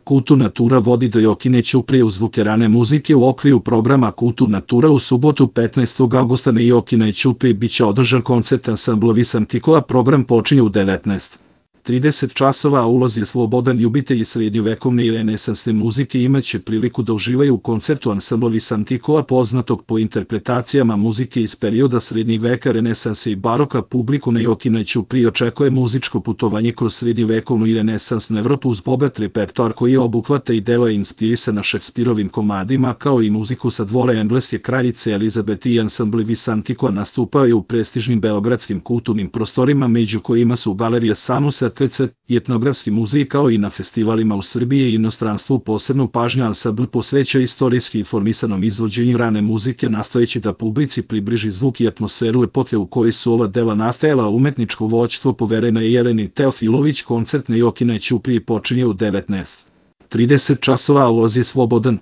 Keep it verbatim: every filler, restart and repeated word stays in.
Kulturna tura vodi do Jokine Ćuprije uz zvuke rane muzike u okviru programa Kulturna tura u subotu petnaestog avgusta na Jokine Ćupriji biće održan koncert ansambla Visantikova. Program počinje u devetnaest trideset časova, a ulaz je slobodan. Ljubitelji srednjovekovne i renesansne muzike imaće priliku da uživaju u koncertu ansambla Visantikova, poznatog po interpretacijama muzike iz perioda srednjeg veka, renesanse i baroka. Publiku na Jokinoj Ćupriji očekuje muzičko putovanje kroz srednjovekovnu i renesansnu Evropu uz bogat repertoar koji obuhvata i deluje inspirisana Šekspirovim komadima, kao i muziku sa dvora engleske kraljice Elizabete. I ansambli Visantikova nastupaju u prestižnim beogradskim kulturnim prostorima, među kojima su Galerija Samusa, i etnografski muzej, kao i na festivalima u Srbiji i inostranstvu. Posebnu pažnju ansambl posveća istorijski informisanom izvođenju rane muzike, nastojeći da publici približi zvuk i atmosferu epohe u kojoj su ova dela nastajala. Umetničko vođstvo povereno je Jeleni Teofilović. Koncert na Jokinoj Ćupriji počinje u devetnaest trideset časova, a ulaz je slobodan.